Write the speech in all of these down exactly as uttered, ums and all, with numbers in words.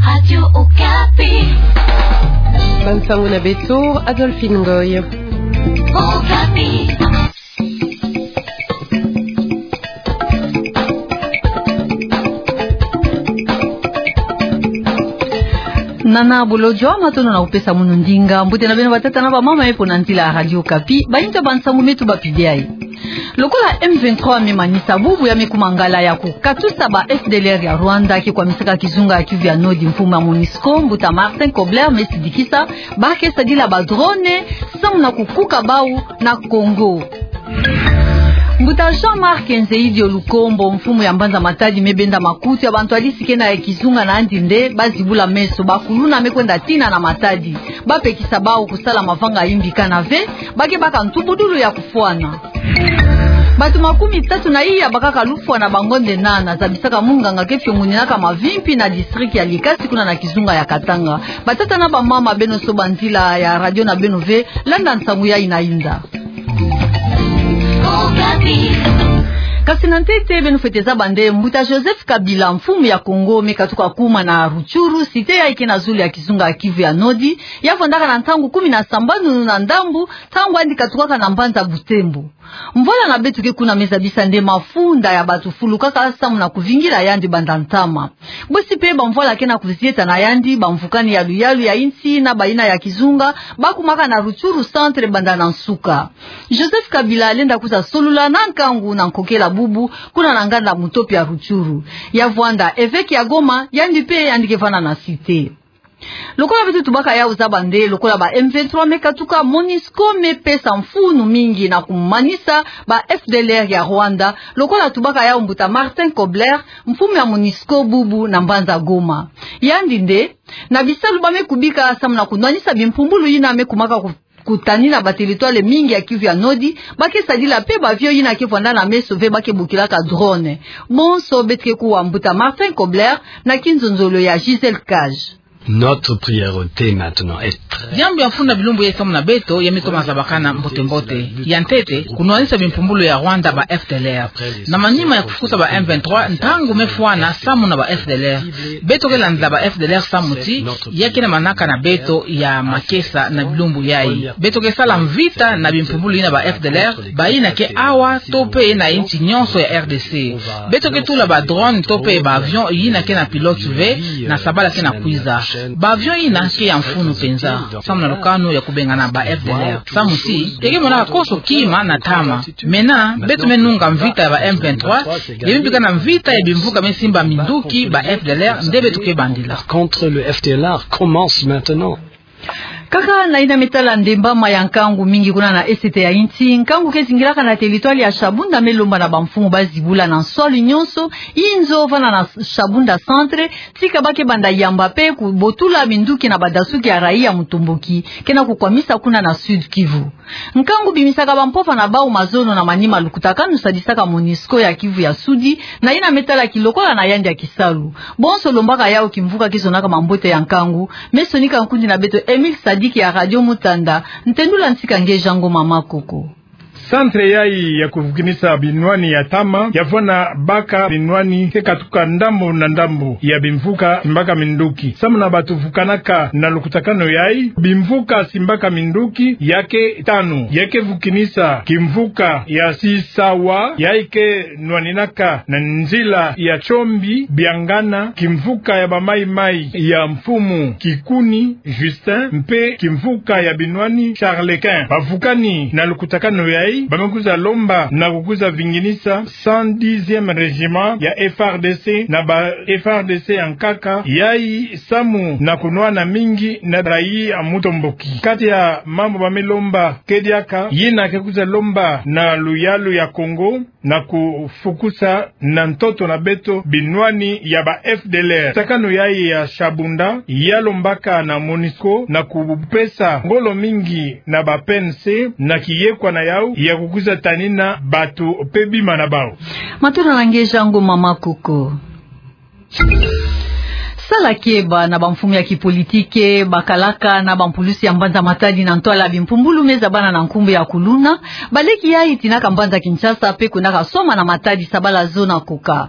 Radio Okapi. Bansango na beto, Adolphine Ngoy. Okapi. Nana Bolodjwa, matondo na kupesa munu ndinga. Mbote na beno batata na bamama, e, mpo na nzila ya Radio Okapi. Bayinzo ya bansango me tubapidai. Lokola M vingt-trois me manisa bubu ya me kuma ngala ya kukatusa ba F D L R ya Rwanda ke kwamisaka kizunga ya Kivu ya Nord, mfumu ya MONUSCO, mbuta Martin Kobler, me sidikisa ba ke sadila ba drone samu na kukuka bau na Congo. Mbuta Jean-Marc Nzeyi Dio Lukombo, mfumu ya mbanza Matadi, me benda makutu ya bantu yadisi ke na kizunga na yandi nde ba zibula meso, ba kuluna me kwenda tina na Matadi, ba pekisa bau kusala mavanga yimbi kana ve, ba ke baka ntubudulu ya kufwana. Bato makumi tatu na iya bakaka lufwa na bangonde nana, zabisaka munganga ke fiongoninaka mavimpi na district ya Likasi kuna na kizunga ya Katanga. Batata na bamama, beno soba nzila ya radio na beno ve, landa nsangu yayi na inda. Kasi na ntete, beno fwete zaba nde mbuta Joseph Kabila, mfumu ya Congo, me katuka kuma na Rutshuru, cité yayi ke na zulu ya kizunga ya Kivu ya Nord, ya vwandaka na ntangu kumi na sambanu na ndambu, ntangu yandi katukaka na mbanza Butembo. Mvwala na beto ke kuna me zabisa nde mafunda ya bato fulukaka samu na kuvingila yandi banda ntama. Bosi pe bamvwala ke na kuzieta na yandi, bamvukani ya luyalu ya insi na bayina ya kizunga, bakumaka na Rutshuru centre banda na nsuka. Joseph Kabila lenda kwiza solula na nkangu na nkokela bubu, kuna na nganda Mutopi ya Rutshuru. Ya vwanda évêque ya Goma, yandi pe yandi ke vwanda na cité. Lokola beto tubaka yau zaba nde, lokola ba M vingt-trois me katuka, MONUSCO me pesa mfunu mingi na kumanisa ba F D L R ya Rwanda, lokola tubaka yau mbuta Martin Kobler, mfumu ya MONUSCO bubu na mbanza Goma. Yandi nde, na bisalu ba me kubika samu na kunwanisa bimpumbulu yina me kumaka ku- kutanina ba territoire mingi ya Kivu ya Nord, ba ke sadila pe ba avion yina ke vwanda na meso ve ba ke bokilaka drone. Bonso beto ke kuwa mbuta Martin Kobler na kinzonzolo ya Gisèle Cage. Notre priorité maintenant est très... Diambu ya mfunu na bilumbu yayi samu na beto, ya me toma zabakana mbote-mbote. Ya ntete, kunwanisa bimpumbulu ya Rwanda ba F D L R. Na manima ya kufukusa ba M vingt-trois, ntangu me fwana samu na ba F D L R. Beto ke landa ba F D L R samu ti, ya ke na manaka na beto ya makesa na bilumbu yayi. Beto ke sala mvita na bimpumbulu yina ba F D L R, bayina ke awa to pe na insi nyonso ya R D C. Beto ke tula ba drone to pe ba avion yina ke na pilote ve, na sabala ke na kwiza. Ba avion yina ke ya mfunu mpenza, samu na lukanu ya kubengana ba F D L R. Samu ti, ya ke monaka konso kima na ntama. Maintenant, beto me nunga mvita ya ba M vingt-trois, ya me bika na mvita ya bimvuka me simba minduki ba F D L R, nde beto ke bandila. Contre le F D L R commence maintenant. Kaka na yina me tala ndembama ya nkangu mingi kuna na Est ya insi, nkangu ke zingilaka na territoire ya Shabunda me lomba na bamfumu ba zibula na nswalu nyonso, inzo vwanda na Shabunda centre, tika ba ke banda yamba pe kubotula minduki na badasuki ya raia mutomboki ke na kukwamisa kuna na Sud-Kivu. Nkangu bimisaka bampova na bau mazono na manima lukutakanu sadisaka MONUSCO ya Kivu ya Sudi, na yina me tala kilokola na yandi ya kisalu. Bonso lombaka yau kimvuka ke zonaka mambote ya nkangu, me sonika nkundi na beto Emile Sadiki ya Radio Mutanda, ntendula ntika nge Jean Ngoma Makoko. Centre yayi ya kuvukinisa binwani ya ntama, ya vwanda baka binwani ke katuka ndambu na ndambu ya bimvuka simbaka minduki. Samu na bato vukanaka na lukutakanu yayi, bimvuka simbaka minduki ya ke tanu, ya ke vukinisa kimvuka ya Sisawa, yayi ke nwaninaka na nzila ya Tshombi, Biangana, kimvuka ya ba Maï-Maï ya mfumu Kikuni Justin, mpe kimvuka ya binwani Charles Quint. Bavukani na lukutakanu yayi, ba me kwiza lomba na kukwiza vinginisa cent dixième régiment ya F R D C na ba F R D C ya nkaka, yayi samu na kunwana mingi na raia mutomboki. Kati ya mambu ba me lomba ke diaka, yina ke kwiza lomba na luyalu ya Congo, na kufukusa na ntoto na beto binwani ya ba F D L R. Takanu yayi ya Shabunda, ya lombaka na MONUSCO na kupesa ngolo mingi na ba P N C na kiyekwa na yau ya kukwiza tanina bato pe bima na bau. Matondo na nge Jean Ngoma Makoko. Akeba na bamfumu ya kipolitike, bakalaka na bampulusi ya mbanza Matadi na ntwala ya bimpumbulu me zabana na nkumbu ya kuluna, baleki yayi tinaka mbanza Kinshasa pe kwendaka soma na Matadi sabala zo na koka.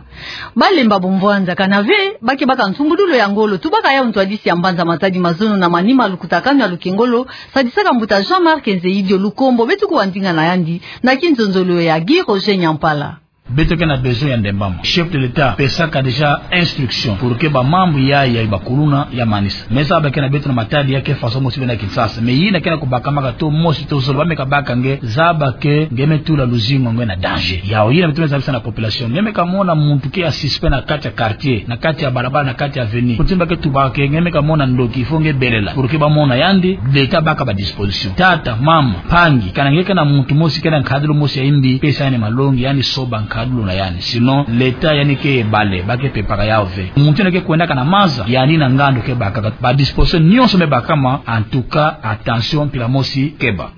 Balemba bomvwanda kana ve, ba ke baka ntumbudulu ya ngolo, tubaka yawu ntwadisi ya mbanza Matadi mazono na manima lukutakanu ya lukengolo, sadisaka mbuta Jean-Marc Nzeyi Dio Lukombo, beto kuwa ndinga na yandi, na kinzonzolo ya Guy Roger Nyampala. Beto ke na besoin ya ndembama. Chef de l'État pesaka déjà instruction pour que bamambu ya, ya bakuluna ya manisa. Mais zaba ke na beto na Matadi ya ke façon mosi bie na Kinshasa. Mais yina ke na kubakamaka to mosi to zole, ba me kabaka nge, zaba ke nge me tula luzingu ya nge na danger. Yawu yina beto me zabisa na population. Nge me kamona muntu ke ya suspect na kati ya quartier, na kati ya balabala, na kati ya avenue, kutimba ke tubaka ke, nge me kamona ndoki, il faut nge belela. Pour que bamona yandi, l'État baka badisposition. Tata, mama, mpangi, kana nge ke na muntu mosi ke na nkadulu mosi ya yimbi, pesa yandi malongi, yandi soba nkadulu na yandi. Sinon, l'État yandi ke bale, ba ke pepaka yawu ve. Muntu yandi ke kwendaka na maza, yandi na ngandu ke bakaka. Badisposition nyonso me bakama, en tout cas, attention, mpila mosi keba.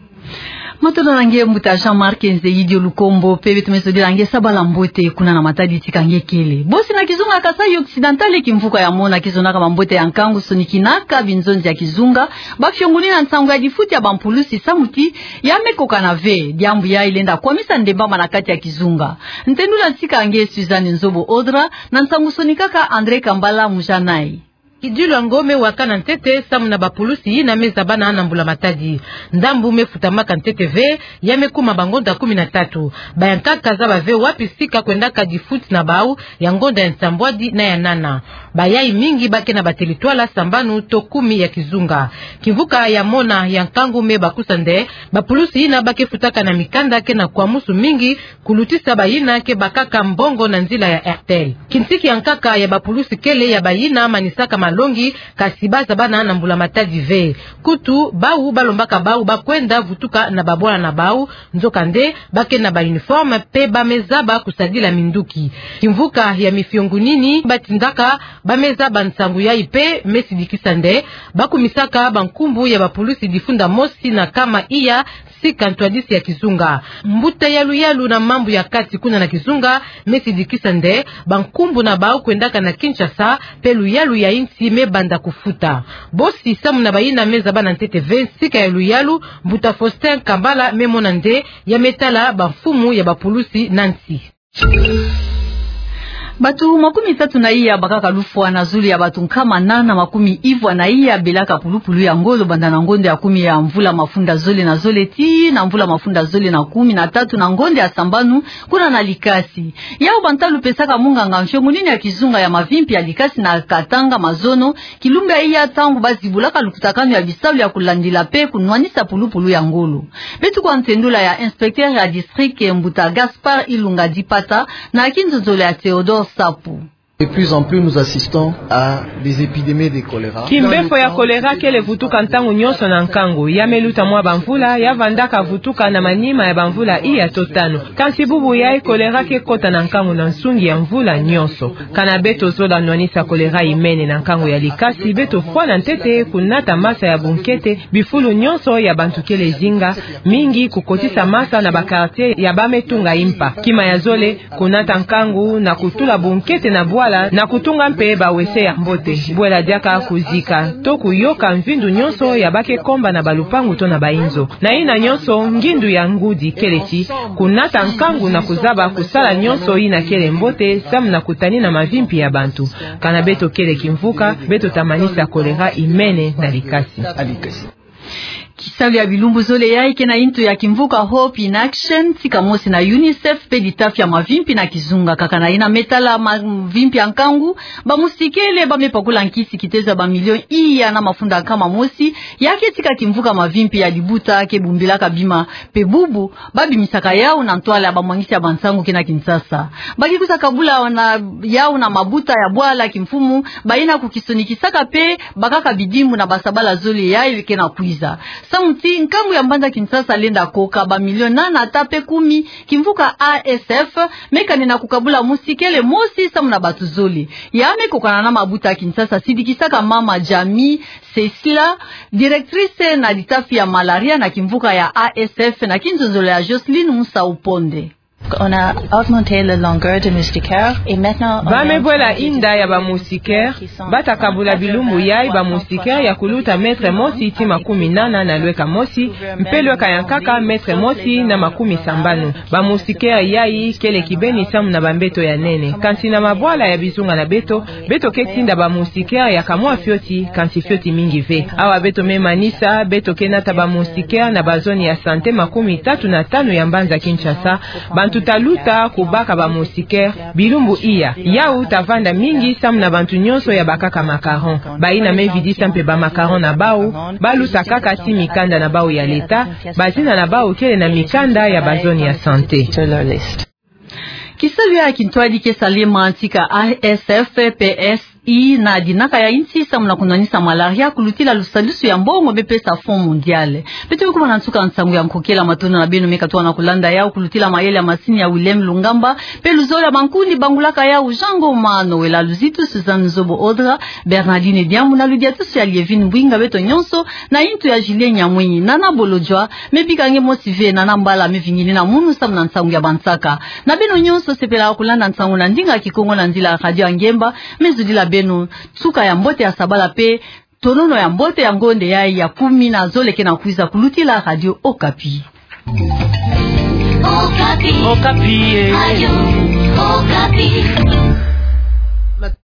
Matondo na nge mbuta Jean-Marc Nzeyi Dio Lukombo, pe beto me zodila nge sabala mbote kuna na Matadi tika nge kele. Bosi na kizunga Kasaï Occidental, kimvuka ya mona ke zonaka mambote ya nkangu sonikinaka binzonzi ya kizunga, bafiongunina nsangu ya difuti ya bampulusi samu ti ya me kokana ve, diambu yayi lenda kwamisa ndembama na kati ya kizunga. Ntendula tika nge Suzanne Nzobo Audra, na nsangu sonikaka André Kambala Mujanayi. Kidilu yango me wakana ntete samu na bapulusi yina me zabana na mbula Matadi. Ndambu me futamaka ntete ve, ya me kuma bangonda kumi na tatu. Bayankaka zaba ve wapi sika kwendaka difuti na bawu, ya ngonda ya nsambwadi na ya nana. Bayayi mingi ba ke na batelitwala sambanu to kumi ya kizunga. Kimvuka ya mona ya nkangu me bakusa nde, bapulusi yina ba ke futaka na mikanda ke na kwamusu mingi, kulutisa bayina ke bakaka mbongo na nzila ya Airtel. Kintiki ya nkaka ya bapulusi kele ya bayina manisaka malongi, kasi ba zabana na mbula Matadi ve. Kutu, bawu balombaka bawu ba kwenda vutuka na babwana na bawu, nzokande, ba ke na ba uniforme pe ba me zaba kusadila minduki. Kimvuka ya mifiongunini batindaka ba me zaba nsangu yayi pe me sidikisa nde, bakumisaka bankumbu ya bapulusi difunda mosi na kama iya sika ntwadisi ya kizunga. Mbuta ya luyalu na mambu ya kati kuna na kizunga me sidikisa nde, bankumbu na bawu kwendaka na Kinshasa, pe luyalu ya insi me banda kufuta. Bosi samu na bayina me zabana ntete ve sika ya luyalu, mbuta Faustin Kambala me mona nde, ya me tala bamfumu ya bapulusi na nsi. Batu makumi tatu na iya bakaka lufwa na zulu ya batu nkama nana makumi ivwa na iya belaka pulupulu ya ngolo banda na ngonda ya kumi ya mvula mafunda zole na zole tii na mvula mafunda zole na kumi na tatu na ngonda ya sambanu kuna na Likasi. Yawu bantalu pesaka munganga mfiongunini ya kizunga ya mavimpi ya Likasi na Katanga mazono, kilumbu ya iya ntangu bazibulaka lukutakanu ya bisalu ya kulandila pe kunwanisa pulupulu ya ngolo. Beto kuwa ntendula ya inspecteur ya district mbuta Gaspard Ilunga Dipata na kinzonzolo ya Théodore Sapu. De plus en plus, nous assistons à des épidémies de choléra. Kimbefo ya kolera kele vutuka ntangu nyonso na nkangu, ya me luta mwa bamvula, ya vandaka vutuka na manima ya bamvula iya to tanu. Kansi bubu yayi kolera ke kota na nkangu na nsungi ya mvula nyonso. Kana beto zola nwanisa kolera imene na nkangu ya Likasi, beto fwana ntete kunata masa ya bunkete, bifulu nyonso ya bantu kele zinga, mingi kukotisa masa na ba quartier ya ba me tunga impa. Kima ya zole, kunata nkangu na kutula bunkete na bwala, na kutunga mpe bawese ya mbote. Bwela diaka kuzika to kuyoka mvindu nyonso ya ba ke komba na balupangu to na bainzo. Na yina nyonso, ngindu ya ngudi kele ti kunata nkangu na kuzaba kusala nyonso yina kele mbote, samu na kutanina mavimpi ya bantu. Kana beto kele kimvuka, beto ta manisa kolera imene na Likasi. Kisalu ya bilumbu zole yayi ke na intu ya kimvuka Hope in Action, tika mosi na UNICEF, pe litafi ya mavimpi na kizunga. Kaka na yina me tala mavimpi ya nkangu, bamusikele ba me pakula nkisi kitezo ya bamilio iya na mafunda nkama mosi, ya ke tika kimvuka mavimpi ya libuta ke bumbilaka bima, pe bubu, babimisaka yawu na ntwala ya bamwangisi ya bansangu ke na Kinshasa. Ba ke kwiza kabula na yawu na mabuta ya bwala kimfumu, bayina kukisonikisaka pe bakaka bidimbu na basabala zole yayi ke na kwiza. Samu ti nkangu ya mbanza Kinshasa lenda koka bamilio nana ata pe kumi, kimvuka A S F me kanena kukabula musikele mosi samu na batu zole. Ya me kokana na mabuta ya Kinshasa, sidikisaka mama Jamie Cécila, directrice na litafi ya malaria na kimvuka ya A S F, na kinzonzolo ya Jocelyne Musau Ponde. On a augmenté la longueur de moustiquaire et maintenant on est en train de développer des... Ba me bwela inda ya ba moustiquaire, ba ta kabula bilumbu yai ba moustiquaire ya kuluta mètre mosi tii makumi nana na lweka mosi, mpe lweka ya nkaka mètre mosi na makumi sambanu. Ba moustiquaire yai kele kibeni samu na ba mbeto ya nene. Kansi na mabwala ya bizunga na beto, beto ke tinda ba moustiquaire ya kamwa fioti, kansi fioti mingi ve. Awa beto me manisa, beto ke nata ba moustiquaire na ba zone ya santé makumi tatu na tanu ya mbanza Kinshasa. Bantu ta luta kubaka ba moustiquaire bilumbu iya. Yau ta vanda mingi samu na bantu nyonso ya bakaka macaron. Bayina me vidisa mpe ba macaron na bau, ba luta kaka tii mikanda na bau ya leta, bazina na bau kele na mikanda ya ba zone ya santé. Kisalu ya kintwadi ke salama ntika A S F P S I na dinaka ya insi samu na kunwanisa malaria, kulutila lusadisu ya mbongo me pesa Fonds Mondial. Beto me kuma na nsuka nsangu ya nkokela. Matondo na beno me katuka na kulanda yau kulutila mayele ya masini ya Willem Lungamba, mpe luzolo ya mankundi bangulaka yau Jean Ngoma, Noëlla Luzitu, Suzanne Zobo Odra, Bernardine Diambu na ludiatusu ya Lievine Mbwinga. Beto nyonso na intu ya Julien Nyamwinyi. Nana Bolodjwa me bika nge mosi ve, nana Mbala me vingini na munu samu na nsangu ya bansaka. Na beno nyonso sepelaka kulanda nsangu na ndinga Kikongo na nzila ya Radio Angemba, me zudila beno nsuka ya mbote ya sabala mpe tonono ya mbote ya ngonde yai ya kumi na zole ke na kwiza kulutila Radio Okapi. Okapi. Okapi, eh. Radio Okapi.